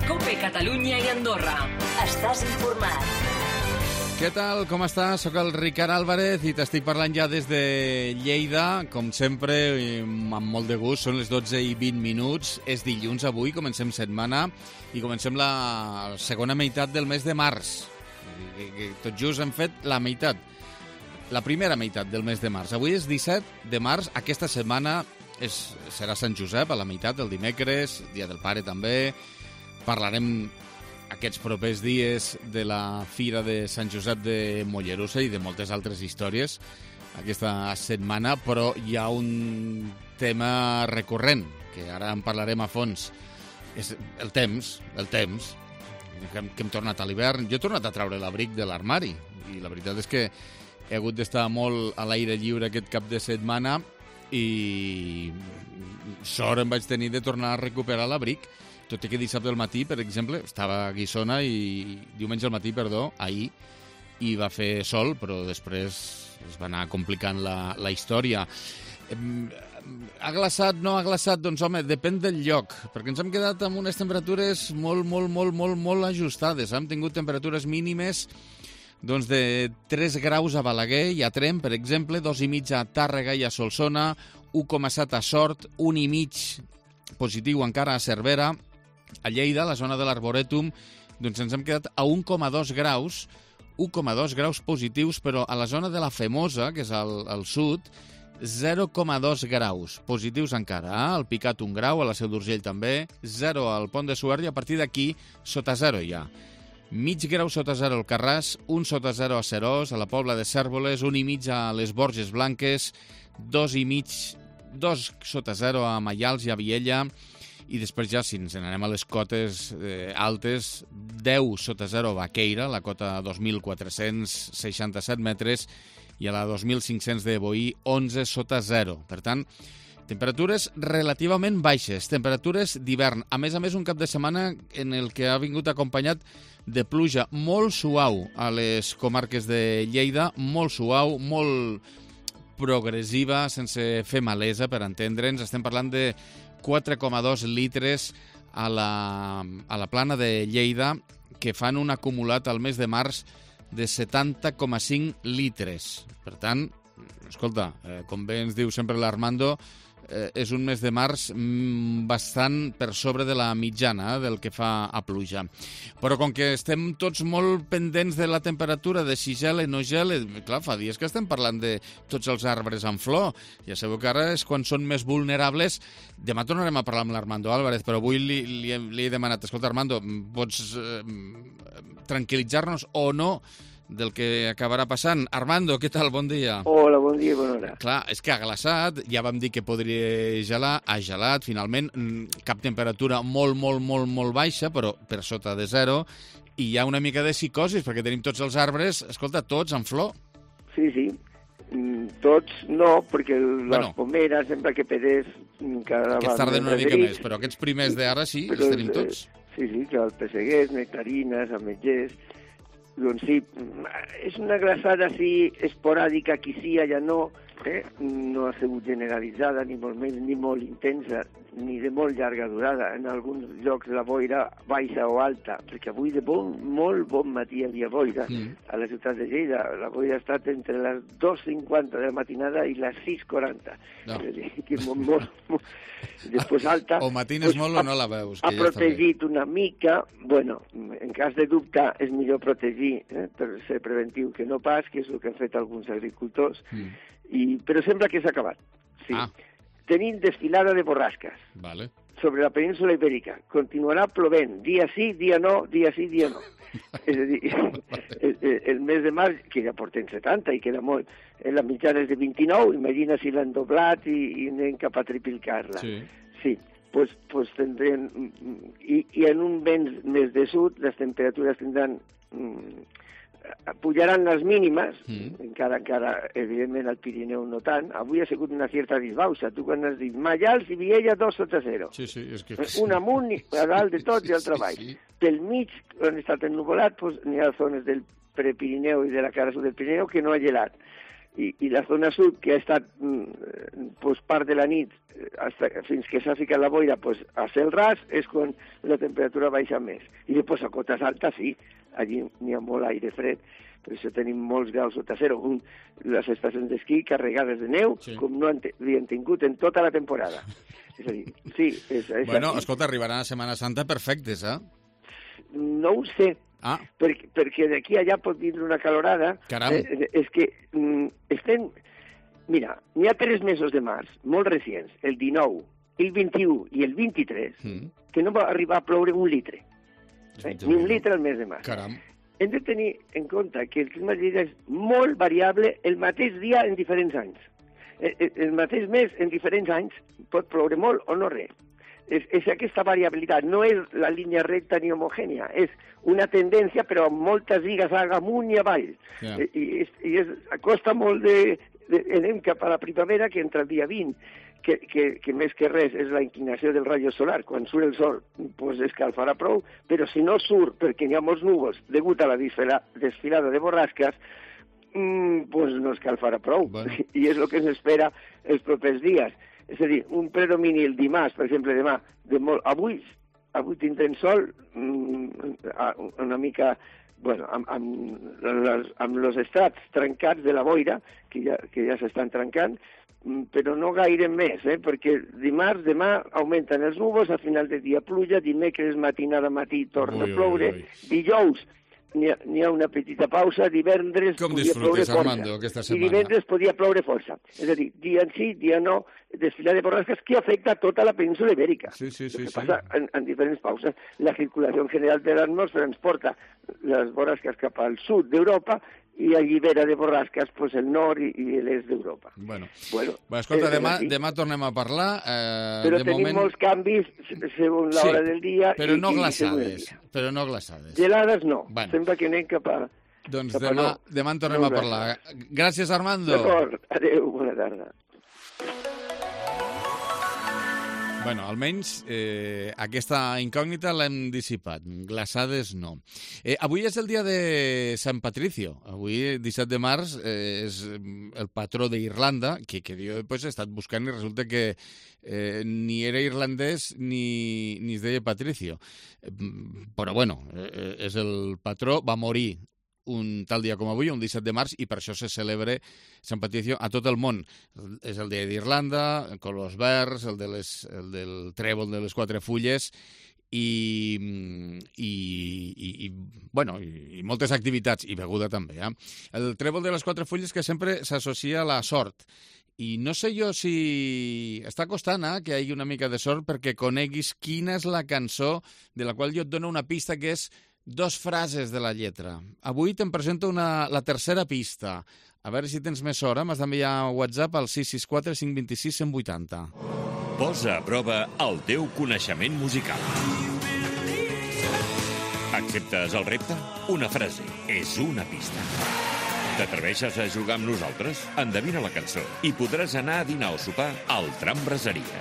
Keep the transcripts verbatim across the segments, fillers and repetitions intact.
COPE Catalunya i Andorra. Estàs informat. Què tal? Com estàs? Soc el Ricard Álvarez i t'estic parlant ja des de Lleida. Com sempre, amb molt de gust, són les dotze i vint minuts. És dilluns avui, comencem setmana i comencem la segona meitat del mes de març. Tot just hem fet la meitat, la primera meitat del mes de març. Avui és disset de març, aquesta setmana és, serà Sant Josep, a la meitat, el dimecres, Dia del Pare també. Parlarem aquests propers dies de la Fira de Sant Josep de Mollerussa i de moltes altres històries aquesta setmana, però hi ha un tema recurrent, que ara en parlarem a fons. És el temps, el temps, que hem, que hem tornat a l'hivern. Jo he tornat a treure l'abric de l'armari i la veritat és que he hagut d'estar molt a l'aire lliure aquest cap de setmana i sort em vaig tenir de tornar a recuperar l'abric. Tot i que dissabte al matí, per exemple, estava a Guissona i diumenge al matí, perdó, ahir, i va fer sol, però després es va anar complicant la, la història. Ha glaçat, no ha glaçat? Doncs, home, depèn del lloc, perquè ens hem quedat amb unes temperatures molt, molt, molt, molt, molt ajustades. Hem tingut temperatures mínimes doncs, de tres graus a Balaguer i a Tremp, per exemple, dos i mig a Tàrrega i a Solsona, u coma set a Sort, un i mig positiu encara a Cervera. A Lleida, a la zona de l'Arborètum, doncs ens hem quedat a un coma dos graus, un coma dos graus positius, però a la zona de la Femosa, que és al, al sud, zero coma dos graus positius encara. Eh? Al Picat un grau, a la Seu d'Urgell també, zero al Pont de Suert i a partir d'aquí sota zero ja. Mig grau sota zero al Carràs, un sota zero a Serós, a la Pobla de Cérvoles, un i mig a les Borges Blanques, dos i mig, dos sota zero a Maials i a Viella, i després ja, si ens n'anem a les cotes eh, altes, deu sota zero a Baqueira, la cota dos mil quatre-cents seixanta-set metres, i a la dos mil cinc-cents de Boí, onze sota zero. Per tant, temperatures relativament baixes, temperatures d'hivern. A més a més, un cap de setmana en el que ha vingut acompanyat de pluja molt suau a les comarques de Lleida, molt suau, molt progressiva, sense fer malesa, per entendre'ns. Estem parlant de quatre coma dos litres a la, a la plana de Lleida, que fan un acumulat al mes de març de setanta coma cinc litres. Per tant, escolta, eh, com bé ens diu sempre l'Armando, eh, és un mes de març mm, bastant per sobre de la mitjana eh, del que fa a pluja. Però com que estem tots molt pendents de la temperatura, de si gela o no gela, clar, fa dies que estem parlant de tots els arbres en flor. Ja sabeu que ara és quan són més vulnerables. Demà tornarem a parlar amb l'Armando Álvarez, però avui li, li, he, li he demanat, escolta, Armando, pots eh, tranquil·litzar-nos o no del que acabarà passant. Armando, què tal? Bon dia. Hola, bon dia i bona hora. Clar, és que ha glaçat, ja vam dir que podria gelar, ha gelat, finalment, cap temperatura molt, molt, molt, molt baixa, però per sota de zero, i hi ha una mica de psicosis, perquè tenim tots els arbres, escolta, tots en flor. Sí, sí, tots no, perquè les bueno, pomeres, sempre que pedés, cada aquests tarden una mica més, però aquests primers d'ara sí, els tenim tots. Sí, sí, que els pesseguers, nectarines, ametllers. Doncs sí, és una glaçada així esporàdica, aquí sí, allà no, eh? No ha sigut generalitzada, ni molt més, ni molt intensa, ni de molt llarga durada. En alguns llocs la boira baixa o alta, perquè avui de bon, molt bon matí hi havia boira mm. a la ciutat de Lleida. La boira ha estat entre les dos cinquanta de la matinada i les sis quaranta. No. És a dir, que molt, molt, molt... Després alta... O matines pues, molt o no la veus. Ha ja protegit una mica, bueno, en cas de dubte és millor protegir eh, per ser preventiu que no pas, que és el que han fet alguns agricultors, mm. i, però sembla que s'ha acabat. Sí. Ah. Tenim desfilada de borrasques vale. sobre la península ibèrica. Continuarà plovent, dia sí, dia no, dia sí, dia no. És a dir, el, el mes de març, que ja portem setanta i queda molt, la mitjana és de vint-i-nou, imagina si l'han doblat i, i anem cap a triplicar-la. Sí. Sí, pues, pues tindrem... I, I en un vent més de sud, les temperatures tindran... Mm, pujaran les mínimes, mm. encara, encara, evidentment, al Pirineu no tant. Avui ha sigut una certa disbauxa. Tu quan has dit Maials i Viella, dos sota zero. Sí, sí, és que... Un amunt, a dalt de tot i al treball. Sí, sí. Pel mig, on ha estat ennuvolat, pues, n'hi ha zones del prepirineu i de la cara sud del Pirineu que no ha gelat. i, i la zona sud, que ha estat mm, pues, part de la nit hasta, fins que s'ha ficat la boira pues, a cel ras, és quan la temperatura baixa més. I després a cotes altes, sí, allí n'hi ha molt aire fred, per això tenim molts graus sota zero. Un, les estacions d'esquí carregades de neu, sí. com no havien tingut en tota la temporada. És a dir, sí, és, és bueno, així. Escolta, arribaran a Setmana Santa perfectes, eh? No ho sé, ah. perquè, perquè d'aquí allà pot vindre una calorada. Caram. Eh, és que mm, estem... Mira, n'hi ha tres mesos de març, molt recents, el dinou, el vint-i-u i el vint-i-tres, mm. que no va arribar a ploure un litre. Eh? Ni un litre al mes de març. Caram. Hem de tenir en compte que el clima de Lleida és molt variable el mateix dia en diferents anys. El, el mateix mes en diferents anys pot ploure molt o no res. És, és aquesta variabilitat, no és la línia recta ni homogènia, és una tendència però amb moltes lligues amunt i avall. Yeah. I, i, és, i és, costa molt de, de... Anem cap a la primavera, que entre el dia vint, que, que, que més que res és la inclinació del rayo solar. Quan surt el sol, pues escalfarà prou, però si no surt perquè hi ha molts núvols degut a la desfila, desfilada de borrasques, mm, pues no escalfarà prou. Bueno. I és el que ens espera els propers dies. És a dir, un predomini el dimarts, per exemple, demà, de molt... avui, avui tindrem sol mm, una mica, bueno, amb, amb, les, amb els estrats trencats de la boira, que ja, que ja s'estan trencant, però no gaire més, eh? Perquè dimarts, demà, augmenten els núvols, a final de dia pluja, dimecres matinada matí torna ui, a ploure, ui, ui. dijous n'hi ha, n'hi ha una petita pausa, divendres com podia ploure força, Armando, aquesta setmana? I divendres podia ploure força. És a dir, dia en sí, dia no, desfilar de borrasques que afecta tota la península ibèrica. Sí, sí, sí. El que sí. passa en, en diferents pauses. La circulació general de l'atmosfera ens porta les borrasques cap al sud d'Europa i allibera de borrasques pues, el nord i, i l'est d'Europa. Bueno, bueno Va, escolta, eh, demà, sí. demà tornem a parlar. Eh, però de tenim moment... molts canvis segons l'hora sí, del dia. Però i, no i glaçades. Però no glaçades. Gelades no. Bueno. Sembla que anem cap a... Doncs cap a demà, no. demà en tornem no a parlar. Gràcies, Armando. D'acord. Adéu, bona tarda. Bueno, almenys eh, aquesta incògnita l'hem dissipat. Glaçades no. Eh, avui és el dia de Sant Patricio. Avui, disset de març, eh, és el patró d'Irlanda, que, que jo pues, he estat buscant i resulta que eh, ni era irlandès ni, ni es deia Patricio. Eh, però bueno, eh, és el patró, va morir un tal dia com avui, un disset de març, i per això se celebra Sant Patricio a tot el món. És el dia d'Irlanda, colors verds, el, de les, el del trèvol de les quatre fulles, i, i, i, i, bueno, i, i moltes activitats, i beguda també. Eh? El trèvol de les quatre fulles que sempre s'associa a la sort. I no sé jo si està costant eh, que hi hagi una mica de sort perquè coneguis quina és la cançó de la qual jo et dono una pista que és dos frases de la lletra. Avui te'n presento una, la tercera pista. A veure si tens més sort. M'has d'enviar WhatsApp al sis sis quatre cinc dos sis cent vuitanta. Posa a prova el teu coneixement musical. Acceptes el repte? Una frase és una pista. T'atreveixes a jugar amb nosaltres? Endevina la cançó i podràs anar a dinar o sopar al Tram Braseria.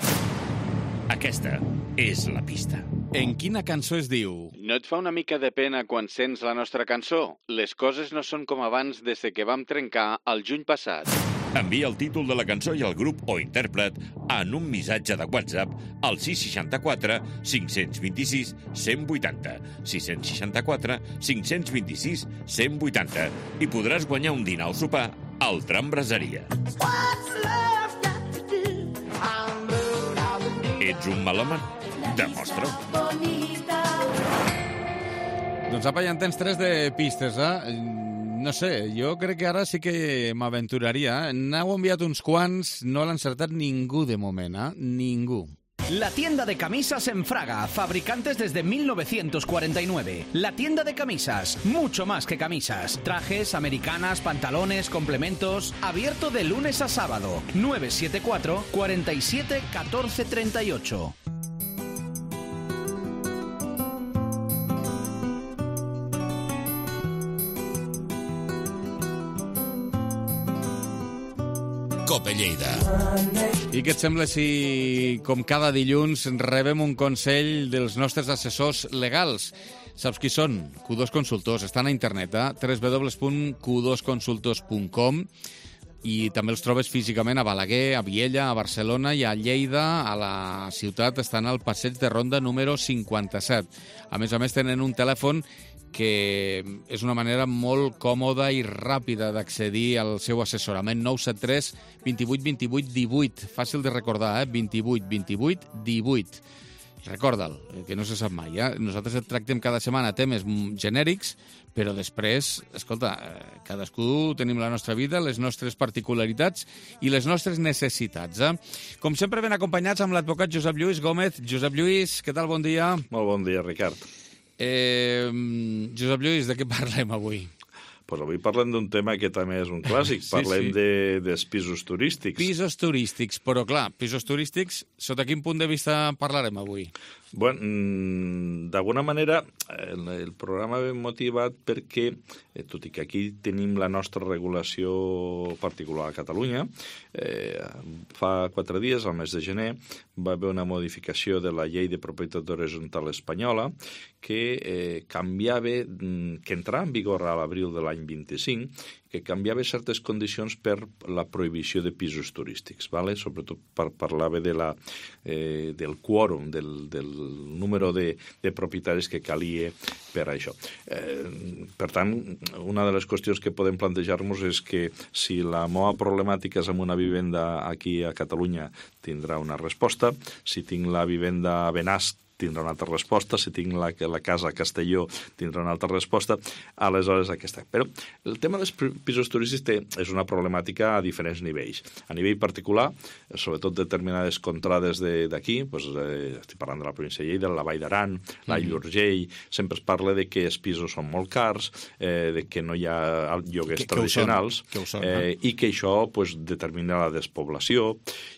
Aquesta és la pista. En quina cançó es diu? No et fa una mica de pena quan sents la nostra cançó? Les coses no són com abans des que vam trencar el juny passat. Envia el títol de la cançó i el grup o intèrpret en un missatge de WhatsApp al sis sis quatre cinc dos sis cent vuitanta. sis sis quatre cinc dos sis cent vuitanta. I podràs guanyar un dinar o sopar al Tram Braseria. Ets un melòman? Demostra-ho. Doncs apa, ja en tens tres de pistes, eh? No sé, jo crec que ara sí que m'aventuraria. N'heu enviat uns quants, no l'ha encertat ningú de moment, eh? Ningú. La tienda de camisas en Fraga, fabricantes desde mil novecientos cuarenta y nueve. La tienda de camisas, mucho más que camisas. Trajes, americanas, pantalones, complementos. Abierto de lunes a sábado. nueve siete cuatro, cuatro siete, uno cuatro tres ocho. Cope Lleida. I què et sembla si, com cada dilluns, rebem un consell dels nostres assessors legals? Saps qui són? Q dos Consultors. Estan a internet, eh? w w w punt q dos consultors punt com. i també els trobes físicament a Balaguer, a Viella, a Barcelona i a Lleida. A la ciutat estan al passeig de Ronda número cinquanta-set. A més a més, tenen un telèfon que és una manera molt còmoda i ràpida d'accedir al seu assessorament. nou set tres, vint vuit, vint vuit, divuit. Fàcil de recordar, eh? vint vuit, vint vuit, divuit. Recorda'l, que no se sap mai. Eh? Nosaltres et tractem cada setmana temes genèrics, però després, escolta, cadascú tenim la nostra vida, les nostres particularitats i les nostres necessitats. Eh? Com sempre, ben acompanyats amb l'advocat Josep Lluís Gómez. Josep Lluís, què tal? Bon dia. Molt bon dia, Ricard. Eh, Josep Lluís, de què parlem avui? Pues avui parlem d'un tema que també és un clàssic. Sí, parlem sí. De, dels pisos turístics. Pisos turístics, però clar, pisos turístics, sota quin punt de vista parlarem avui? Bueno, d'alguna manera, el, el programa ve motivat perquè, eh, tot i que aquí tenim la nostra regulació particular a Catalunya, eh, fa quatre dies, al mes de gener, va haver una modificació de la llei de propietat horitzontal espanyola que eh, canviava, que entrava en vigor a l'abril de l'any vint-i-cinc, que canviava certes condicions per la prohibició de pisos turístics, ¿vale? Sobretot par parlava de la, eh, del quòrum, del, del número de, de propietaris que calia per a això. Eh, per tant, una de les qüestions que podem plantejar-nos és que si la meva problemàtica és amb una vivenda aquí a Catalunya, tindrà una resposta. Si tinc la vivenda a Benasc, tindrà una altra resposta. Si tinc la, la casa a Castelló, tindrà una altra resposta. Aleshores, aquesta. Però el tema dels pisos turístics té, és una problemàtica a diferents nivells. A nivell particular, sobretot determinades contrades d'aquí, doncs, eh, estic parlant de la província de Lleida, la Vall d'Aran, la Llurgell, sempre es parla de que els pisos són molt cars, eh, de que no hi ha lloguers que, tradicionals, que ho són, que ho són, eh, i que això pues, determina la despoblació.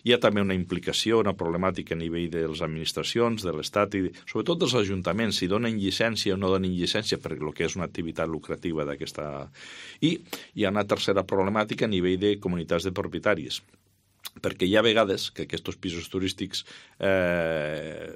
Hi ha també una implicació, una problemàtica a nivell de les administracions, de l'Estat, i sobretot dels ajuntaments, si donen llicència o no donen llicència per el que és una activitat lucrativa d'aquesta. I hi ha una tercera problemàtica a nivell de comunitats de propietaris, perquè hi ha vegades que aquests pisos turístics eh,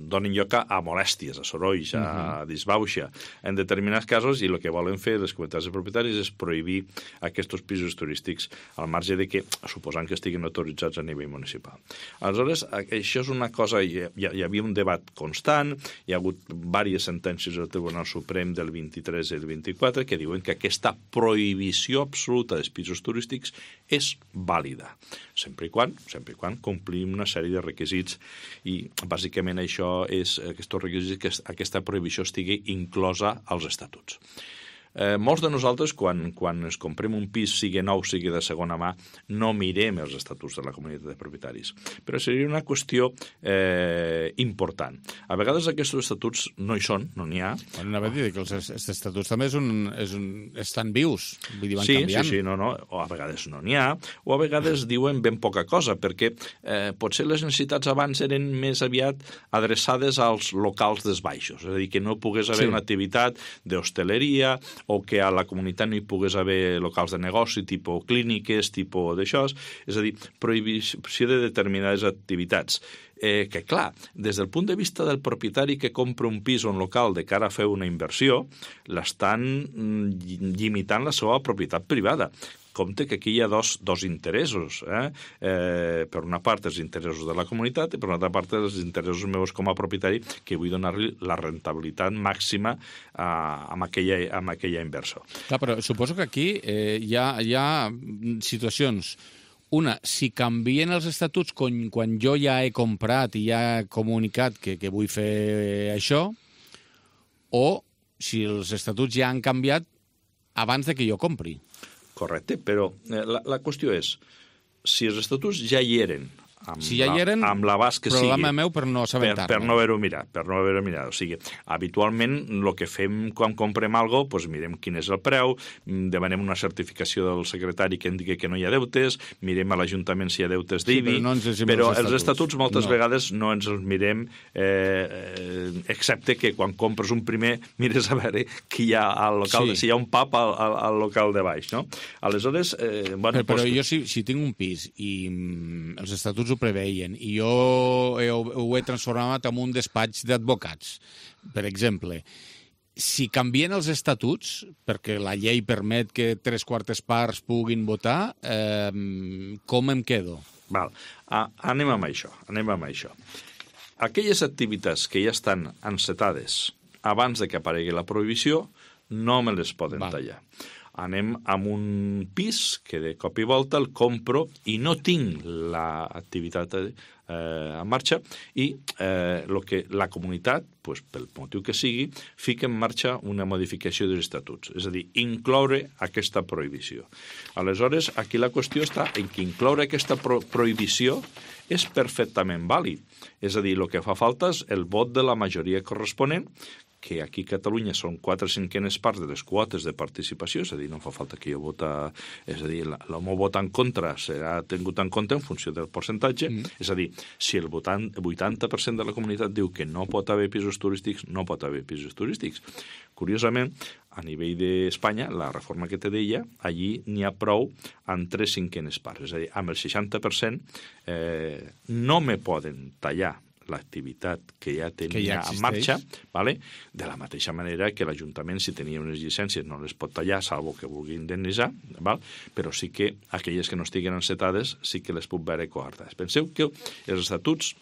donen lloc a molèsties, a sorolls, a uh-huh. disbauxa, en determinats casos, i el que volen fer les comunitats de propietaris és prohibir aquests pisos turístics al marge de que, suposant que estiguin autoritzats a nivell municipal. Aleshores, això és una cosa, hi, hi havia un debat constant, hi ha hagut diverses sentències del Tribunal Suprem del vint-i-tres i el vint-i-quatre que diuen que aquesta prohibició absoluta dels pisos turístics és vàlida, sempre i quan, sempre i quan complim una sèrie de requisits, i bàsicament això és aquests requisits, que aquesta prohibició estigui inclosa als estatuts. Eh, molts de nosaltres, quan, quan ens comprem un pis, sigui nou, sigui de segona mà, no mirem els estatuts de la comunitat de propietaris. Però seria una qüestió eh, important. A vegades aquests estatuts no hi són, no n'hi ha. Bueno, anava a dir que els, els estatuts també és un, és un, estan vius, vull dir, van sí, canviant. Sí, sí, no, no. O a vegades no n'hi ha, o a vegades diuen ben poca cosa, perquè eh, potser les necessitats abans eren més aviat adreçades als locals dels baixos, és a dir, que no pogués haver sí. una activitat d'hostaleria, o que a la comunitat no hi pogués haver locals de negoci, tipus clíniques, tipus d'això, és a dir, prohibició de determinades activitats. Eh, que, clar, des del punt de vista del propietari que compra un pis o un local de cara a fer una inversió, l'estan limitant la seva propietat privada. Compte que aquí hi ha dos, dos interessos. Eh? Eh, per una part, els interessos de la comunitat, i per una altra part, els interessos meus com a propietari, que vull donar-li la rentabilitat màxima eh, amb, aquella, amb aquella inversió. Clar, però suposo que aquí eh, hi, ha, hi ha situacions. Una, si canvien els estatuts quan, quan jo ja he comprat i ja he comunicat que, que vull fer això, o si els estatuts ja han canviat abans de que jo compri. Correcte, però la, la qüestió és, si els estatuts ja hi eren, amb, si ja hi eren, la, amb l'abast que sigui, problema meu per no assabentar-me. Per, per no haver-ho mirat, per no haver-ho mirat. O sigui, habitualment, el que fem quan comprem alguna cosa, doncs mirem quin és el preu, demanem una certificació del secretari que indiqui que no hi ha deutes, mirem a l'Ajuntament si hi ha deutes d'I B I, sí, però, no ens però els estatuts, estatuts moltes no. vegades no ens els mirem, eh, excepte que quan compres un primer mires a veure qui hi ha al local, sí. si hi ha un pub al, al, al local de baix, no? Aleshores, eh, bueno, però, però doncs... jo si, si tinc un pis i mm, els estatuts ho preveien i jo he, ho he transformat en un despatx d'advocats, per exemple, si canvien els estatuts, perquè la llei permet que tres quartes parts puguin votar, eh, com em quedo? Val. Ah, anem amb això, anem amb això. Aquelles activitats que ja estan encetades abans de que aparegui la prohibició no me les poden Val. tallar. Anem amb un pis que de cop i volta el compro i no tinc l'activitat eh, en marxa i eh, lo que la comunitat, pues, pel motiu que sigui, fica en marxa una modificació dels estatuts, és a dir, incloure aquesta prohibició. Aleshores, aquí la qüestió està en que incloure aquesta pro prohibició és perfectament vàlid. És a dir, el que fa falta és el vot de la majoria corresponent, que aquí a Catalunya són quatre cinquenes parts de les quotes de participació, és a dir, no fa falta que jo vota, és a dir, el meu vot en contra serà tingut en compte en funció del percentatge, mm. és a dir, si el vuitanta per cent de la comunitat diu que no pot haver pisos turístics, no pot haver pisos turístics. Curiosament, a nivell d'Espanya, la reforma que te deia, allí n'hi ha prou amb tres cinquenes parts, és a dir, amb el seixanta per cent eh, no me poden tallar l'activitat que ja tenia que ja en marxa, vale? De la mateixa manera que l'Ajuntament, si tenia unes llicències, no les pot tallar, salvo que vulgui indemnitzar, val? Però sí que aquelles que no estiguen encetades sí que les puc veure coartades. Penseu que els estatuts,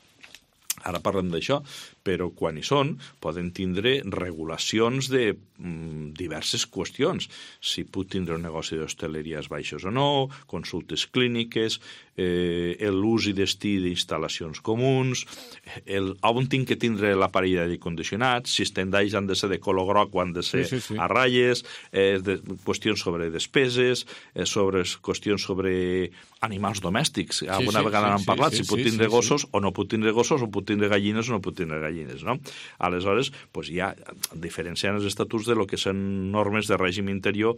ara parlem d'això, però quan hi són poden tindre regulacions de mm, diverses qüestions. Si puc tindre un negoci d'hostaleria als baixos o no, consultes clíniques, eh, l'ús i destí d'instal·lacions comuns, el, on tinc que tindre l'aparell d'aire condicionat, si els tendalls han de ser de color groc o han de ser sí, sí, sí. a ratlles, eh, de, qüestions sobre despeses, eh, sobre qüestions sobre animals domèstics. Sí, Alguna sí, vegada sí, n'han parlat, sí, si puc tindre sí, gossos sí. o no puc tindre gossos, o puc tindre gallines o no puc tindre gallines. No? Aleshores, pues ja diferenciant els estatuts de lo que són normes de règim interior,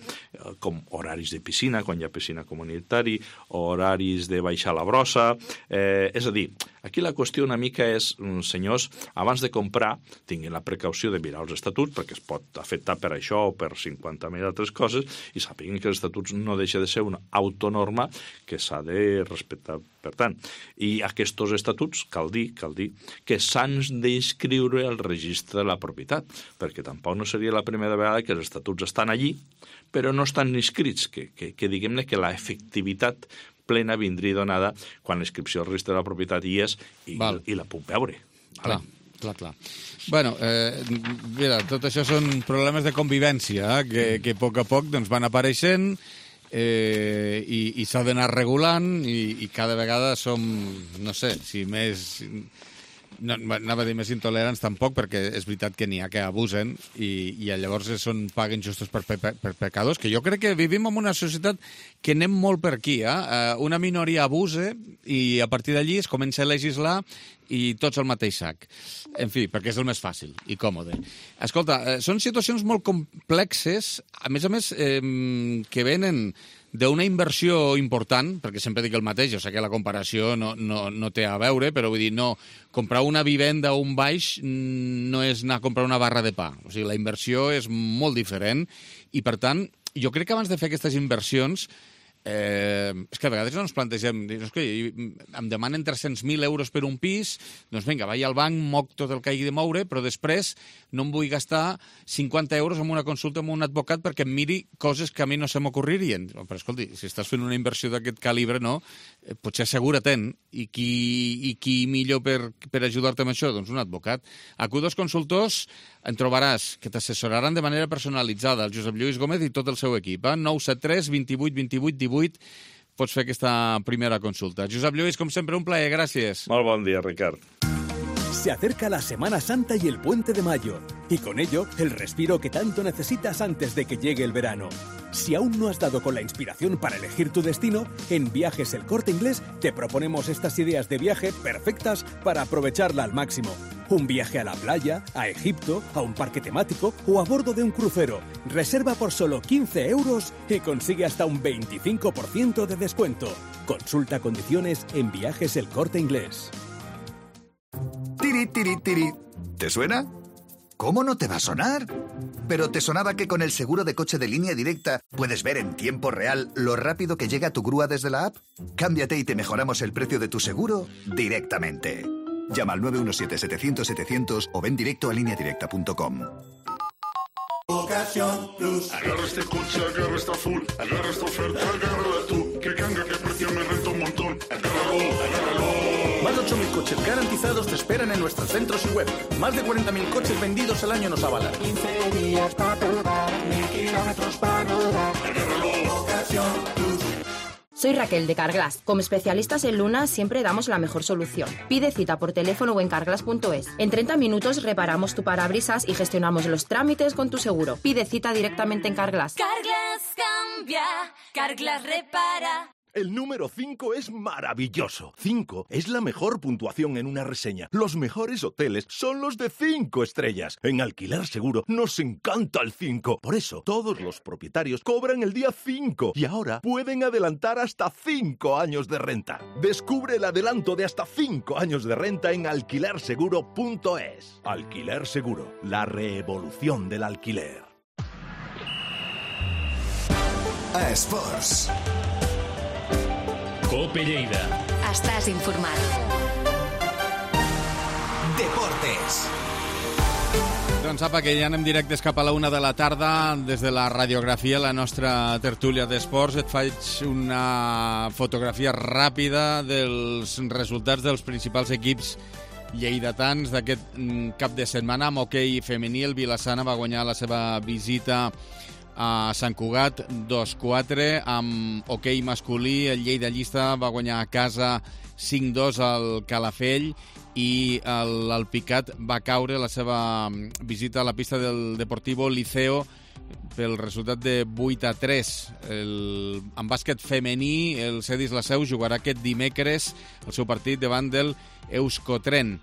com horaris de piscina, quan hi ha piscina comunitari, horaris de baixar la brossa, eh, és a dir, aquí la qüestió una mica és, senyors, abans de comprar, tinguin la precaució de mirar els estatuts, perquè es pot afectar per això o per cinquanta mil altres coses, i sàpiguen que els estatuts no deixa de ser una autonorma que s'ha de respectar. Per tant, i aquests estatuts, cal dir, cal dir, que s'han d'inscriure al registre de la propietat, perquè tampoc no seria la primera vegada que els estatuts estan allí, però no estan inscrits, que, que, que diguem-ne que la efectivitat plena vindria donada quan l'inscripció al registre de la propietat hi és i, i la puc veure. Clar, clar, clar. Bueno, eh, mira, tot això són problemes de convivència eh, que, que a poc a poc doncs, van apareixent eh, i, i s'ha d'anar regulant i, i cada vegada som, no sé, si més... No, anava a dir més intolerants tampoc, perquè és veritat que n'hi ha que abusen i, i llavors són paguen justos per, per, per pecadors, que jo crec que vivim en una societat que anem molt per aquí. Eh? Una minoria abuse i a partir d'allí es comença a legislar i tots al mateix sac. En fi, perquè és el més fàcil i còmode. Escolta, eh, són situacions molt complexes, a més a més, eh, que venen d'una inversió important, perquè sempre dic el mateix, jo sé que la comparació no, no, no té a veure, però vull dir, no, comprar una vivenda o un baix no és anar a comprar una barra de pa. O sigui, la inversió és molt diferent i, per tant, jo crec que abans de fer aquestes inversions Eh, és que a vegades no ens plantegem, és que em demanen tres-cents mil euros per un pis, doncs vinga, vaig al banc, moc tot el que hagi de moure, però després no em vull gastar cinquanta euros en una consulta amb un advocat perquè em miri coses que a mi no se m'ocorririen. Però escolti, si estàs fent una inversió d'aquest calibre, no? Eh, potser assegura-te'n. I qui, i qui millor per, per ajudar-te amb això? Doncs un advocat. A Q dos Consultors en trobaràs que t'assessoraran de manera personalitzada el Josep Lluís Gómez i tot el seu equip. Eh? nou set tres vint vuit vint vuit divuit pots fer aquesta primera consulta. Josep Lluís, com sempre, un plaer. Gràcies. Molt bon dia, Ricard. Se acerca la Semana Santa y el Puente de Mayo, y con ello el respiro que tanto necesitas antes de que llegue el verano. Si aún no has dado con la inspiración para elegir tu destino, en Viajes El Corte Inglés te proponemos estas ideas de viaje perfectas para aprovecharla al máximo. Un viaje a la playa, a Egipto, a un parque temático o a bordo de un crucero. Reserva por solo quince euros y consigue hasta un veinticinco por ciento de descuento. Consulta condiciones en Viajes El Corte Inglés. Tiri, tiri, tiri. ¿Te suena? ¿Cómo no te va a sonar? ¿Pero te sonaba que con el seguro de coche de Línea Directa puedes ver en tiempo real lo rápido que llega tu grúa desde la app? Cámbiate y te mejoramos el precio de tu seguro directamente. Llama al nueve uno siete, setecientos, setecientos o ven directo a línea directa punto com. Ocasión Plus. Agarra este coche, agarra esta full, agarra esta oferta, agárrala tú. Que canga, que precio me renta un montón. Agárralo, agárralo. Más de ocho mil coches garantizados te esperan en nuestros centros y web. Más de cuarenta mil coches vendidos al año nos avalan. quince días para probar, mil kilómetros para rodar. Agárralo, Ocasión Plus. Soy Raquel de Carglass. Como especialistas en Luna siempre damos la mejor solución. Pide cita por teléfono o en carglass punto es. En treinta minutos reparamos tu parabrisas y gestionamos los trámites con tu seguro. Pide cita directamente en Carglass. Carglass cambia, Carglass repara. El número cinco es maravilloso. cinco es la mejor puntuación en una reseña. Los mejores hoteles son los de cinco estrellas. En Alquiler Seguro nos encanta el cinco. Por eso, todos los propietarios cobran el día cinco y ahora pueden adelantar hasta cinco años de renta. Descubre el adelanto de hasta cinco años de renta en alquiler seguro punto es. Alquiler Seguro, la revolución del alquiler. A Esports. Cope Lleida. Estàs informat. Deportes. Doncs apa, que ja anem directes cap a la una de la tarda des de la radiografia, la nostra tertúlia d'esports. Et faig una fotografia ràpida dels resultats dels principals equips lleidatans d'aquest cap de setmana. Amb hoquei femení, el Vilassana va guanyar la seva visita a Sant Cugat dos quatre. Amb hoquei masculí, el Lleida Llista va guanyar a casa cinc dos al Calafell i l'Alpicat va caure la seva visita a la pista del Deportivo Liceo pel resultat de vuit a tres. El, en bàsquet femení, el Cedis La Seu jugarà aquest dimecres el seu partit davant del Euskotren.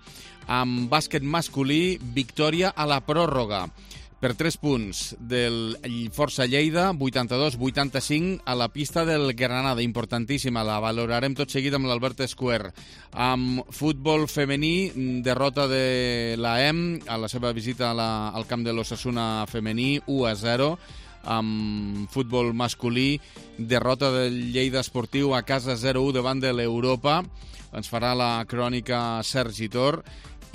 Amb bàsquet masculí, victòria a la pròrroga per tres punts del Força Lleida, vuitanta-dos vuitanta-cinc a la pista del Granada, importantíssima, la valorarem tot seguit amb l'Albert Escuer. Amb futbol femení, derrota de la E M a la seva visita a la, al camp de l'Osasuna femení, u a zero. Amb futbol masculí, derrota del Lleida Esportiu a casa zero a u davant de l'Europa. Ens farà la crònica Sergi Tor.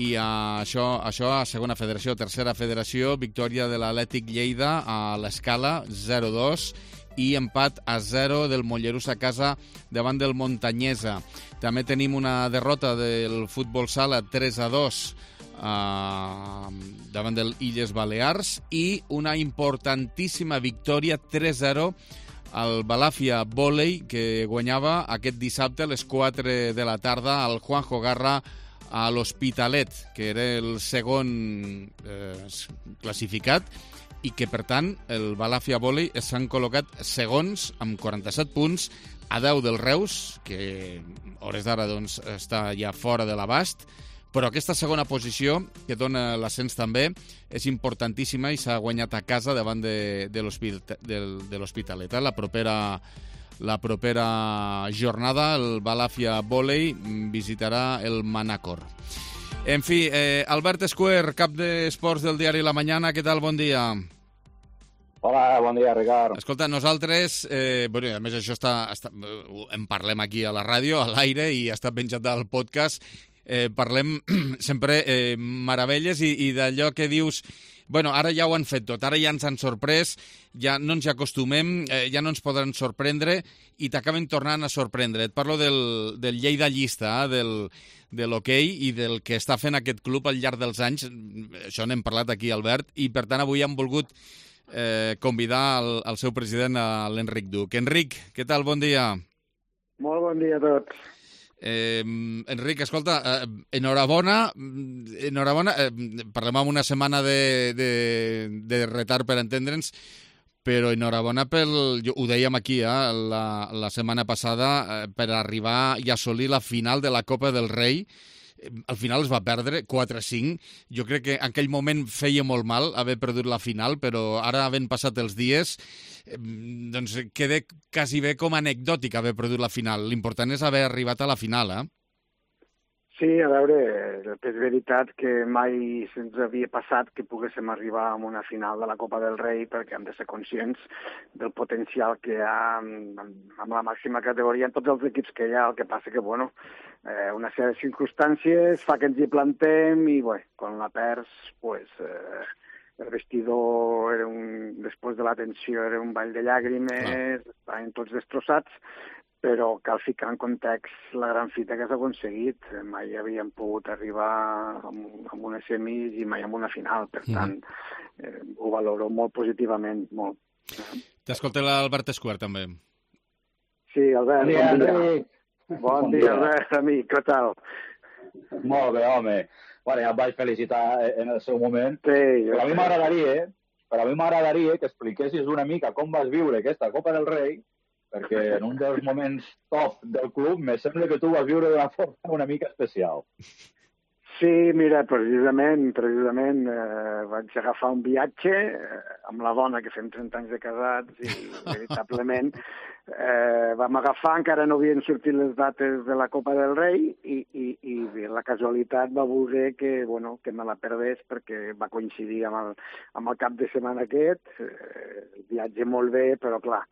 I això, això a segona federació, tercera federació, victòria de l'Atlètic Lleida a l'Escala, zero a dos, i empat a zero del Mollerús a casa davant del Montanyesa. També tenim una derrota del futbol sala, tres a dos, eh, davant del Illes Balears, i una importantíssima victòria, tres a zero, al Balàfia Vòlei, que guanyava aquest dissabte a les quatre de la tarda al Juanjo Garra a l'Hospitalet, que era el segon eh, classificat, i que, per tant, el Balàfia Vòlei s'han col·locat segons amb quaranta-set punts a deu del Reus, que a hores d'ara doncs, està ja fora de l'abast, però aquesta segona posició, que dona l'ascens també, és importantíssima i s'ha guanyat a casa davant de, de l'Hospitalet. La propera La propera jornada, el Balàfia Vòlei visitarà el Manacor. En fi, eh, Albert Escuer, cap d'esports del diari La Mañana, què tal? Bon dia. Hola, bon dia, Ricard. Escolta, nosaltres, eh, bueno, a més això està, està, en parlem aquí a la ràdio, a l'aire, i està penjat al podcast, eh, parlem sempre eh, meravelles i, i d'allò que dius, bueno, ara ja ho han fet tot, ara ja ens han sorprès, ja no ens hi acostumem, eh, ja no ens podran sorprendre i t'acaben tornant a sorprendre. Et parlo del, del Lleida Llista, eh, del, de l'hoquei i del que està fent aquest club al llarg dels anys. Això n'hem parlat aquí, Albert, i per tant avui hem volgut eh, convidar el, el seu president, l'Enric Duc. Enric, què tal? Bon dia. Molt bon dia a tots. Eh, Enric, escolta, eh, enhorabona, enhorabona, eh, parlem amb una setmana de, de, de retard per entendre'ns, però enhorabona pel, jo, ho dèiem aquí eh, la, la setmana passada, eh, per arribar i assolir la final de la Copa del Rei. Al final es va perdre quatre a cinc. Jo crec que en aquell moment feia molt mal haver perdut la final, però ara, havent passat els dies, doncs queda quasi bé com anecdòtic haver perdut la final. L'important és haver arribat a la final, eh? Sí, a veure, és veritat que mai se'ns havia passat que poguéssim arribar a una final de la Copa del Rei, perquè hem de ser conscients del potencial que hi ha amb, amb la màxima categoria en tots els equips que hi ha. El que passa que, bueno, eh, una sèrie de circumstàncies fa que ens hi plantem i, bé, quan la perds, pues, eh, el vestidor, era un, després de la tensió, era un ball de llàgrimes, ah. estaven tots destrossats, però cal ficar en context la gran fita que s'ha aconseguit. Mai havíem pogut arribar amb, amb unes semis i mai amb una final, per tant, mm. eh, ho valoro molt positivament, molt. T'escolta l'Albert Escuer, també. Sí, Albert, bon dia. Bon dia, bon bon dia, dia. Albert, amic, què tal? Molt bé, home. Bueno, ja em vaig felicitar en el seu moment. Sí, però a mi m'agradaria, però a mi m'agradaria que expliquessis una mica com vas viure aquesta Copa del Rei, perquè en un dels moments top del club me sembla que tu vas viure d'una forma una mica especial. Sí, mira, precisament, precisament eh, vaig agafar un viatge eh, amb la dona, que fem trenta anys de casats, i veritablement eh, vam agafar, encara no havien sortit les dates de la Copa del Rei, i, i, i bé, la casualitat va voler que, bueno, que me la perdés, perquè va coincidir amb el, amb el cap de setmana aquest, eh, el viatge molt bé, però clar,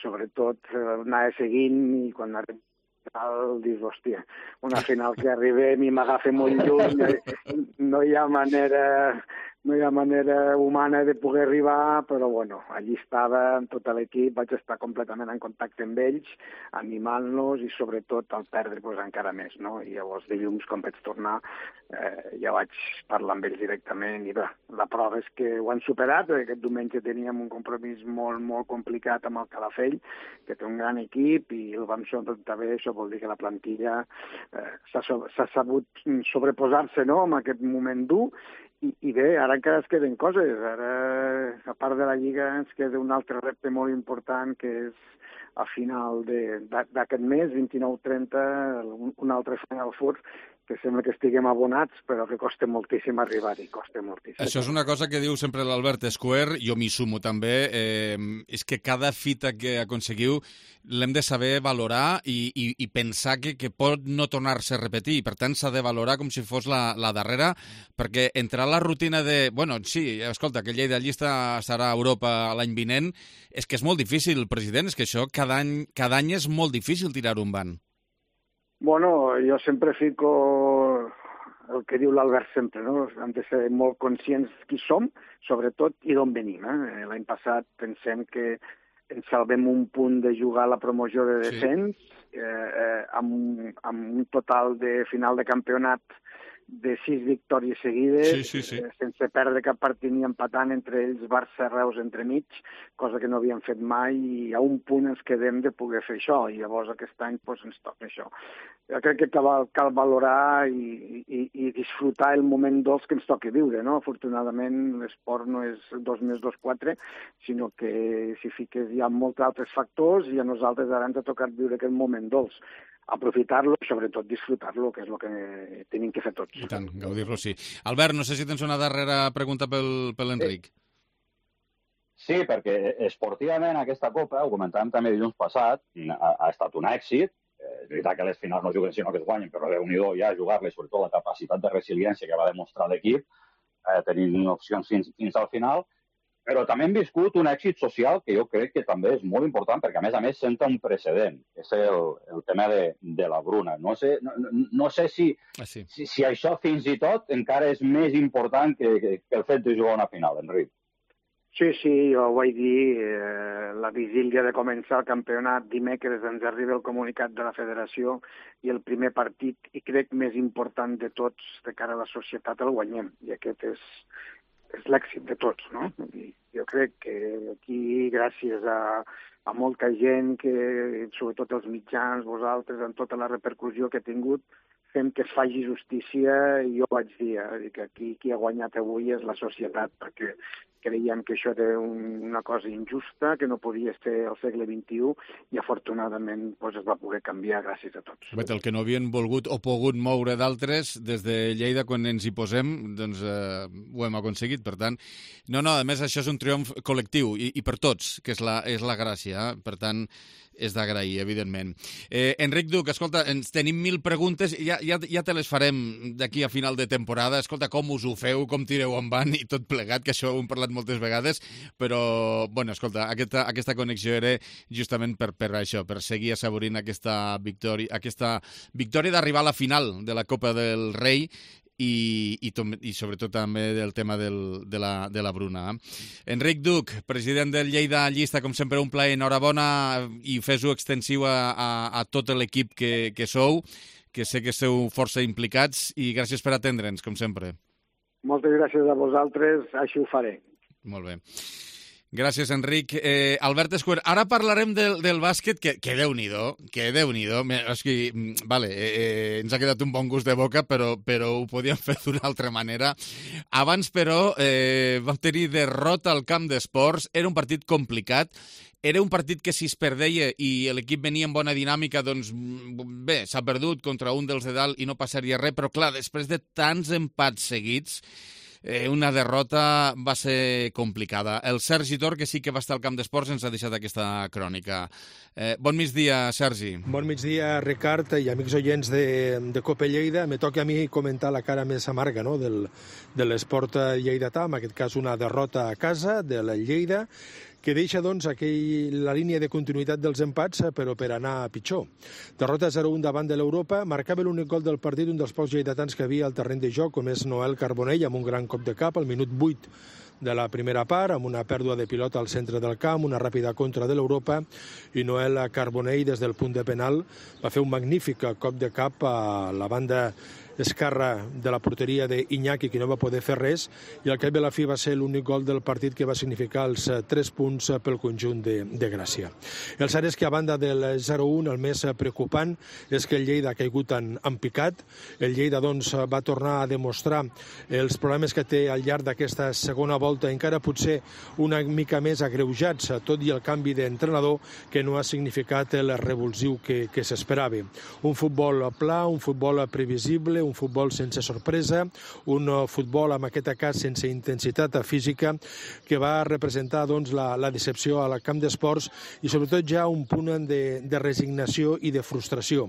sobretot anava seguint, i quan arriba al dius, hòstia, una final que arribem i m'agafa molt lluny, no hi ha manera no hi ha manera humana de poder arribar, però bueno, allí estava amb tot l'equip, vaig estar completament en contacte amb ells, animant-los i sobretot al perdre pues, encara més, no? I llavors dilluns, quan vaig tornar, eh, ja vaig parlar amb ells directament i bé, la prova és que ho han superat, perquè aquest diumenge teníem un compromís molt, molt complicat amb el Calafell, que té un gran equip i el vam sortir bé, això vol dir que la plantilla eh, s'ha sabut sobreposar-se, no?, en aquest moment dur. I, I bé, ara encara es queden coses. Ara, a part de la Lliga, ens queda un altre repte molt important, que és a final d'aquest mes, vint-i-nou trenta, un, un altre Final Four, que sembla que estiguem abonats, però que costa moltíssim arribar-hi, costa moltíssim. Això és una cosa que diu sempre l'Albert Escuer, jo m'hi sumo també, eh, és que cada fita que aconseguiu l'hem de saber valorar i, i, i pensar que, que pot no tornar-se a repetir, i per tant s'ha de valorar com si fos la, la darrera, perquè entrar a la rutina de, bueno, sí, escolta, que Lleida llista estarà a Europa l'any vinent, és que és molt difícil, president, és que això cada any, cada any és molt difícil tirar un ban. Bueno, jo sempre fico el que diu l'Albert sempre, no? Hem de ser molt conscients qui som, sobretot, i d'on venim. Eh? L'any passat pensem que ens salvem un punt de jugar a la promoció de descens, sí. eh, eh, amb, amb un total de final de campionat de sis victòries seguides, sí, sí, sí. Eh, sense perdre cap partit ni empatant, entre ells Barça Reus entremig, cosa que no havíem fet mai, i a un punt ens quedem de poder fer això, i llavors aquest any pues, ens toca això. Jo crec que cal, cal valorar i, i, i disfrutar el moment dolç que ens toca viure, no? Afortunadament l'esport no és dos més dos, quatre, sinó que si fiques hi ha molts altres factors i a nosaltres ara ens ha tocat viure aquest moment dolç. Aprofitar-lo i sobretot disfrutar-lo, que és el que tenim que fer tots. I tant, gaudir-lo, sí. Albert, no sé si tens una darrera pregunta pel, per l'Enric. Sí, perquè esportivament aquesta Copa, ho comentàvem també dilluns passat, ha, ha estat un èxit. És veritat que les finals no juguen sinó que es guanyen, però Déu-n'hi-do ja jugar-les, sobretot la capacitat de resiliència que va demostrar l'equip, eh, tenint opcions fins, fins al final. Però també hem viscut un èxit social que jo crec que també és molt important, perquè a més a més senta un precedent, que és el, el tema de, de la Bruna. No sé, no, no sé si, ah, sí. si, si això fins i tot encara és més important que, que, que el fet de jugar una final, Enric. Sí, sí, jo ho vaig dir, eh, la vigília de començar el campionat, dimecres ens arriba el comunicat de la federació i el primer partit, i crec més important de tots, de cara a la societat, el guanyem. I aquest és, és l'èxit de tots, no? I jo crec que aquí, gràcies a, a molta gent, que sobretot els mitjans, vosaltres, amb tota la repercussió que ha tingut, fem que es faci justícia, i jo vaig dir eh, que aquí qui ha guanyat avui és la societat, perquè creiem que això era un, una cosa injusta, que no podia ser al segle vint-i-u, i afortunadament pues, es va poder canviar gràcies a tots. Bet, el que no havien volgut o pogut moure d'altres, des de Lleida, quan ens hi posem, doncs eh, ho hem aconseguit. Per tant, no, no, a més això és un triomf col·lectiu, i, i per tots, que és la, és la gràcia. Eh? Per tant, és d'agrair, evidentment. Eh, Enric Duc, escolta, ens tenim mil preguntes, ja, ja, ja te les farem d'aquí a final de temporada. Escolta, com us ho feu, com tireu en van i tot plegat, que això ho hem parlat moltes vegades, però, bueno, escolta, aquesta, aquesta connexió era justament per, per això, per seguir assaborint aquesta victòria, aquesta victòria d'arribar a la final de la Copa del Rei, i, i, i sobretot també del tema del, de, la, de la Bruna. Enric Duc, president del Lleida Llista, com sempre un plaer, enhorabona i fes-ho extensiu a, a, a tot l'equip que, que sou, que sé que esteu força implicats, i gràcies per atendre'ns, com sempre. Moltes gràcies a vosaltres, així ho faré. Molt bé. Gràcies, Enric. Eh, Albert Escuer, ara parlarem del, del bàsquet, que, que Déu-n'hi-do, que Déu-n'hi-do. És que, vale, eh, ens ha quedat un bon gust de boca, però, però ho podíem fer d'una altra manera. Abans, però, eh, vam tenir derrota al camp d'esports. Era un partit complicat. Era un partit que si es perdeia i l'equip venia en bona dinàmica, doncs bé, s'ha perdut contra un dels de dalt i no passaria res, però clar, després de tants empats seguits, Eh, una derrota va ser complicada. El Sergi Tor, que sí que va estar al camp d'esports, ens ha deixat aquesta crònica. Eh, bon migdia, Sergi. Bon migdia, Ricard, i amics oients de, de Copa Lleida. Me toca a mi comentar la cara més amarga, no?, del, de l'esport lleidatà, en aquest cas una derrota a casa de la Lleida, que deixa, doncs, aquell, la línia de continuïtat dels empats, però per anar a pitjor. Derrota zero un davant de l'Europa, marcava l'únic gol del partit un dels pocs lleidatans que havia al terreny de joc, com és Noel Carbonell, amb un gran cop de cap al minut vuit de la primera part, amb una pèrdua de pilota al centre del camp, una ràpida contra de l'Europa, i Noel Carbonell, des del punt de penal, va fer un magnífic cop de cap a la banda esquerra de la porteria d'Iñaki, que no va poder fer res, i al cap i la fi va ser l'únic gol del partit que va significar els tres punts pel conjunt de, de Gràcia. El cert és que, a banda del zero un, el més preocupant és que el Lleida ha caigut en, en picat. El Lleida, doncs, va tornar a demostrar els problemes que té al llarg d'aquesta segona volta, encara potser una mica més agreujats, tot i el canvi d'entrenador, que no ha significat el revulsiu que, que s'esperava. Un futbol pla, un futbol previsible, un futbol sense sorpresa, un futbol, en aquest cas, sense intensitat física, que va representar, doncs, la, la decepció al camp d'esports i, sobretot, ja un punt de, de resignació i de frustració.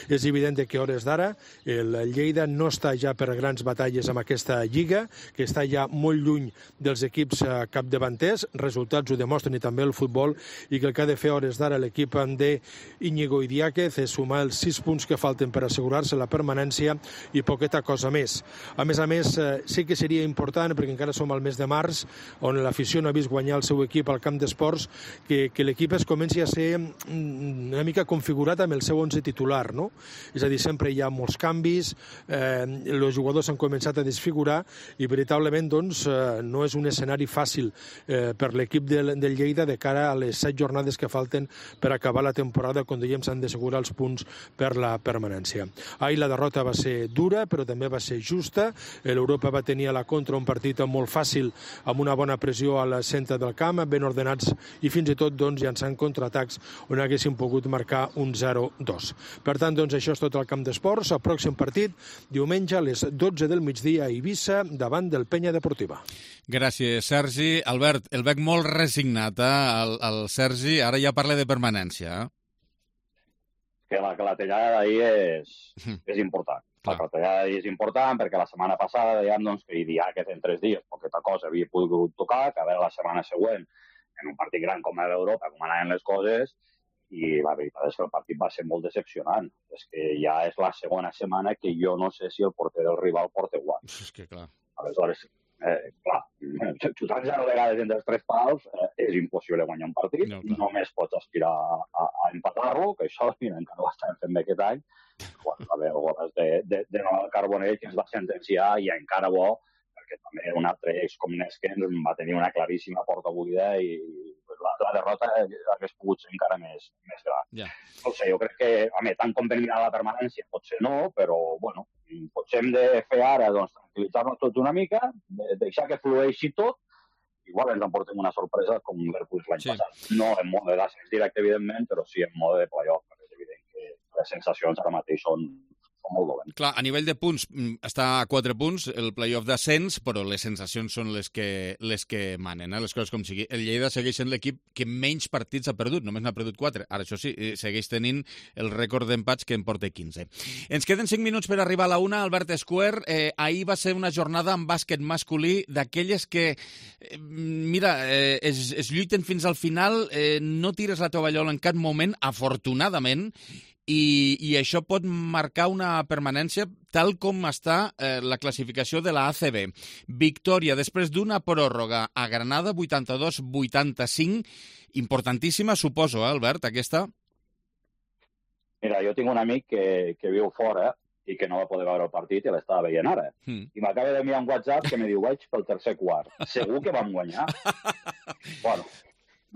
És evident que, a hores d'ara, el Lleida no està ja per grans batalles amb aquesta lliga, que està ja molt lluny dels equips capdavanters, resultats ho demostren i també el futbol, i que el que ha de fer a hores d'ara l'equip d'Iñigo Idiáquez és sumar els sis punts que falten per assegurar-se la permanència i poqueta cosa més. A més a més, eh, sí que seria important, perquè encara som al mes de març, on l'afició no ha vist guanyar el seu equip al camp d'esports, que, que l'equip es comenci a ser una mica configurat amb el seu onze titular, no? És a dir, sempre hi ha molts canvis, eh, els jugadors s'han començat a desfigurar i veritablement, doncs, eh, no és un escenari fàcil eh, per l'equip del, del Lleida de cara a les set jornades que falten per acabar la temporada, quan dèiem s'han d'assegurar els punts per la permanència. Ahir la derrota va ser dura, però també va ser justa. L'Europa va tenir a la contra un partit molt fàcil, amb una bona pressió al centre del camp, ben ordenats i fins i tot, doncs, llançant contraatacs on haguessin pogut marcar un zero dos. Per tant, doncs, això és tot el camp d'esports. El pròxim partit, diumenge a les dotze del migdia a Eivissa, davant del Penya Deportiva. Gràcies, Sergi. Albert, el veig molt resignat, eh, el, el Sergi. Ara ja parla de permanència, eh? Que la clatellada d'ahir és, és important. La clatellada d'ahir és important perquè la setmana passada dèiem, doncs, que Idiáquez en tres dies poqueta cosa havia pogut tocar, que a veure la setmana següent, en un partit gran com era l'Europa, com anaven les coses, i la veritat és que el partit va ser molt decepcionant. És que ja és la segona setmana que jo no sé si el porter del rival porta guant. És que clar. Aleshores, eh, clar, xutant zero vegades entre els tres pals eh, és impossible guanyar un partit. No, només pots aspirar a, a, a empatar-lo, que això mira, encara ho estem fent bé aquest any. Bueno, a veure, goles de, de, de Noel Carbonell, que ens va sentenciar, i encara bo, perquè també un altre ex com Neskens va tenir una claríssima porta buida i la, la derrota hagués pogut ser encara més, més gran. Yeah. No sé, jo crec que, home, tant com per mirar la permanència potser no, però, bueno, potser hem de fer ara, doncs, tranquil·litzar-nos tots una mica, de, deixar que flueixi tot, igual ens emportem una sorpresa com l'Hercules l'any sí. passat. No en mode d'ascens directe, evidentment, però sí en mode de playoff, perquè és evident que les sensacions ara mateix són, són molt dolents. Clar, a nivell de punts està a quatre punts el playoff d'ascens, però les sensacions són les que, les que manen, eh? Les coses com sigui. El Lleida segueix sent l'equip que menys partits ha perdut, només n'ha perdut quatre. Ara, això sí, segueix tenint el rècord d'empats que en porta quinze. Ens queden cinc minuts per arribar a la una. Albert Escuer, eh, ahir va ser una jornada en bàsquet masculí d'aquelles que, eh, mira, eh, es, es lluiten fins al final, eh, no tires la tovallola en cap moment, afortunadament, i, i això pot marcar una permanència tal com està eh, la classificació de la A C B. Victòria després d'una pròrroga a Granada, vuitanta-dos vuitanta-cinc, importantíssima, suposo, eh, Albert, aquesta? Mira, jo tinc un amic que, que viu fora i que no va poder veure el partit i l'estava veient ara. Mm. I m'acaba d'enviar un WhatsApp que me diu, vaig pel tercer quart. Segur que vam guanyar? Bueno,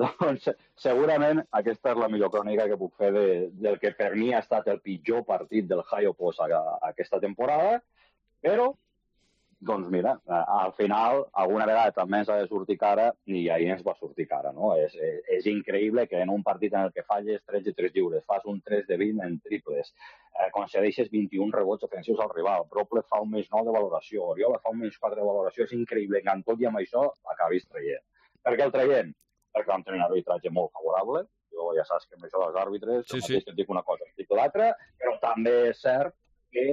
doncs segurament aquesta és la millor crònica que puc fer de, del que per mi ha estat el pitjor partit del Hayo Post a, a aquesta temporada, però doncs mira, al final alguna vegada també ens ha de sortir cara i ahir ens va sortir cara, no? És, és, és increïble que en un partit en el que falles tretze tirs lliures, fas un tres de vint en triples, eh, concedeixes vint-i-un rebots ofensius al rival, Brople fa un més nou de valoració, Oriola fa un més quatre de valoració, és increïble que en tot i amb això acabis traient. Per què el traient? Perquè vam tenir un arbitratge molt favorable, jo ja saps que amb això dels àrbitres, sí, sí. Et dic una cosa, et dic l'altra, però també és cert que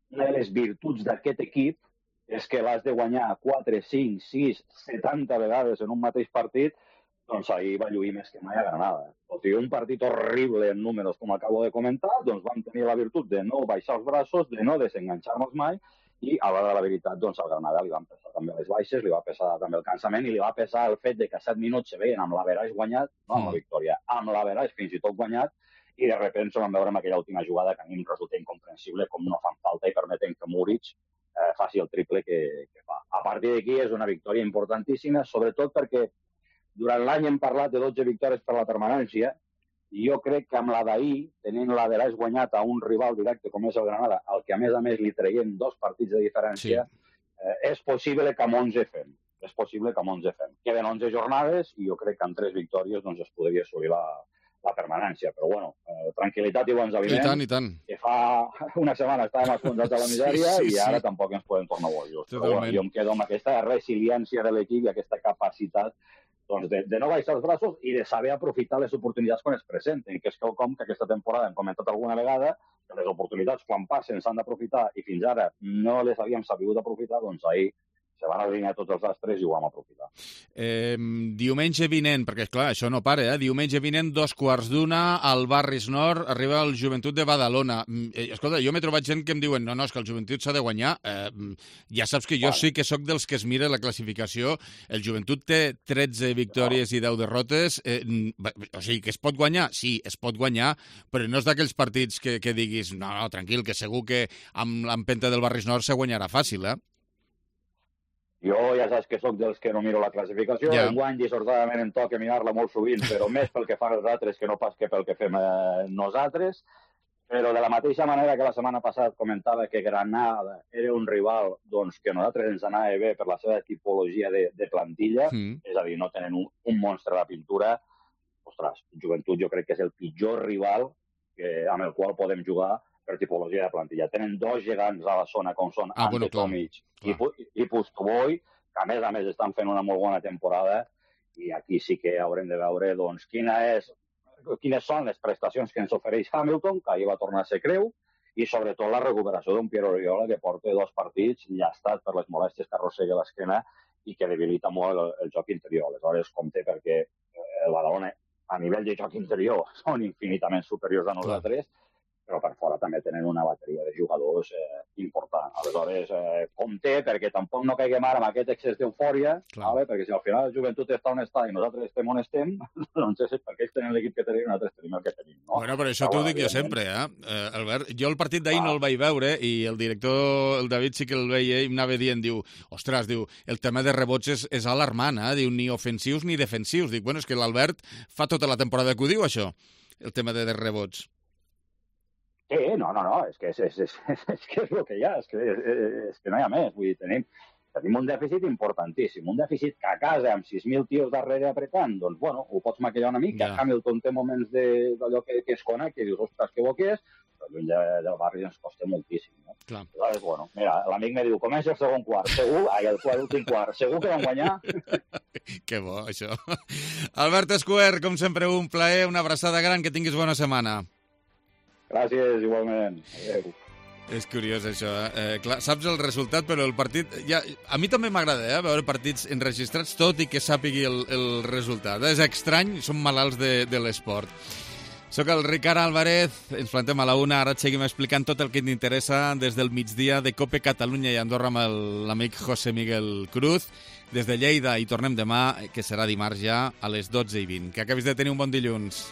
una de les virtuts d'aquest equip és que l'has de guanyar quatre, cinc, sis, setanta vegades en un mateix partit, doncs ahir va lluir més que mai a Granada. Tot i un partit horrible en números, com acabo de comentar, doncs vam tenir la virtut de no baixar els braços, de no desenganxar-nos mai, i a l'hora de la veritat, doncs al Granada li van pesar també les baixes, li va pesar també el cansament i li va pesar el fet de que a set minuts se veien amb l'averaix guanyat, no amb la victòria, amb l'averaix fins i tot guanyat, i de sobte ens vam veure en aquella última jugada que a mi em resulta incomprensible com no fan falta i permeten que Muric Eh, faci el triple que, que fa. A partir d'aquí és una victòria importantíssima, sobretot perquè durant l'any hem parlat de dotze victòries per la permanència i jo crec que amb la d'ahir, tenint la de l'haig guanyat a un rival directe com és el Granada, al que a més a més li traiem dos partits de diferència, sí. eh, és possible que amb onze fem. És possible que amb onze fem. Queden onze jornades i jo crec que amb tres victòries doncs, es podria assolir la, la permanència. Però bueno, eh, tranquil·litat i bons aliments. I tant, i tant. Que fa una setmana estàvem escondats a la misèria sí, sí, i ara sí. Tampoc ens podem tornar bojos. Però bueno, jo em quedo amb aquesta resiliència de l'equip i aquesta capacitat doncs, de, de no baixar els braços i de saber aprofitar les oportunitats quan es presenten, que és quelcom que aquesta temporada hem comentat alguna vegada, que les oportunitats quan passen s'han d'aprofitar i fins ara no les havíem sabut aprofitar, doncs ahir se van alinear tots els astres i ho vam aprofitar. Eh, diumenge vinent, perquè clar, això no para, eh? Diumenge vinent, dos quarts d'una, al Barris Nord, arriba el Joventut de Badalona. Eh, escolta, jo m'he trobat gent que em diuen no, no, és que el Joventut s'ha de guanyar. Eh, ja saps que jo vale. Sí que sóc dels que es mira la classificació. El Joventut té tretze victòries no. i deu derrotes. Eh, o sigui, que es pot guanyar? Sí, es pot guanyar, però no és d'aquells partits que, que diguis no, no, tranquil, que segur que amb l'empenta del Barris Nord se guanyarà fàcil, eh? Jo ja saps que sóc dels que no miro la classificació, yeah. enguany dissortadament em toca mirar-la molt sovint, però més pel que fan els altres que no pas que pel que fem eh, nosaltres. Però de la mateixa manera que la setmana passada comentava que Granada era un rival doncs, que a nosaltres ens anava bé per la seva tipologia de, de plantilla, mm. és a dir, no tenen un, un monstre a la pintura, ostres, Joventut jo crec que és el pitjor rival que, amb el qual podem jugar per tipologia de plantilla. Tenen dos gegants a la zona, com són ah, Ante bueno, Tomic i, i Pustoboy, que a més a més estan fent una molt bona temporada, i aquí sí que haurem de veure doncs, quina és, quines són les prestacions que ens ofereix Hamilton, que ahir va tornar a ser creu, i sobretot la recuperació d'un Pierre Oriola, que porta dos partits llastat per les molèsties que arrossega l'esquena i que debilita molt el, el joc interior. Aleshores, compte perquè el Badalona, a nivell de joc interior, són infinitament superiors a nosaltres, clar. Però per fora també tenen una bateria de jugadors eh, important. Aleshores, eh, compte, perquè tampoc no caiguem ara amb aquest excés d'eufòria, vale? Perquè si al final el Joventut està on està i nosaltres estem on estem, doncs és perquè ells tenen l'equip que tenim i nosaltres tenim el que tenim. No? Bueno, però això t'ho dic jo sempre, eh? eh? Albert, jo el partit d'ahir ah. no el vaig veure i el director, el David, sí que el veia i m'anava dient, diu, ostres, diu, el tema de rebots és, és alarmant, eh? Diu, ni ofensius ni defensius. Dic, bueno, és que l'Albert fa tota la temporada que ho diu, això, el tema de, de rebots. Sí, no, no, no, és que és, és, és, és, que és el que hi ha, és que, és, és que no hi ha més. Vull dir, tenim, tenim un dèficit importantíssim, un dèficit que a casa amb sis mil tios darrere apretant, doncs, bueno, ho pots maquillar una mica. Ja. Hamilton té moments d'allò que, que es connecta i dius, ostres, que bo que és, però lluny de, del barri ens costa moltíssim. No? Clar. Aleshores, bueno, mira, l'amic me diu, comença el segon quart, segur, ai, el quart, últim quart, segur que vam guanyar? Que bo, això. Albert Escuer, com sempre, un plaer, una abraçada gran, que tinguis bona setmana. Gràcies, igualment. Adéu. És curiós, això. Eh, clar, saps el resultat, però el partit... Ja, a mi també m'agrada eh, veure partits enregistrats, tot i que sàpigui el, el resultat. És estrany, som malalts de, de l'esport. Soc el Ricard Álvarez, ens plantem a la una, ara et seguim explicant tot el que t'interessa des del migdia de COPE Catalunya i Andorra amb l'amic José Miguel Cruz. Des de Lleida i tornem demà, que serà dimarts ja, a les dotze i vint. Que acabis de tenir un bon dilluns.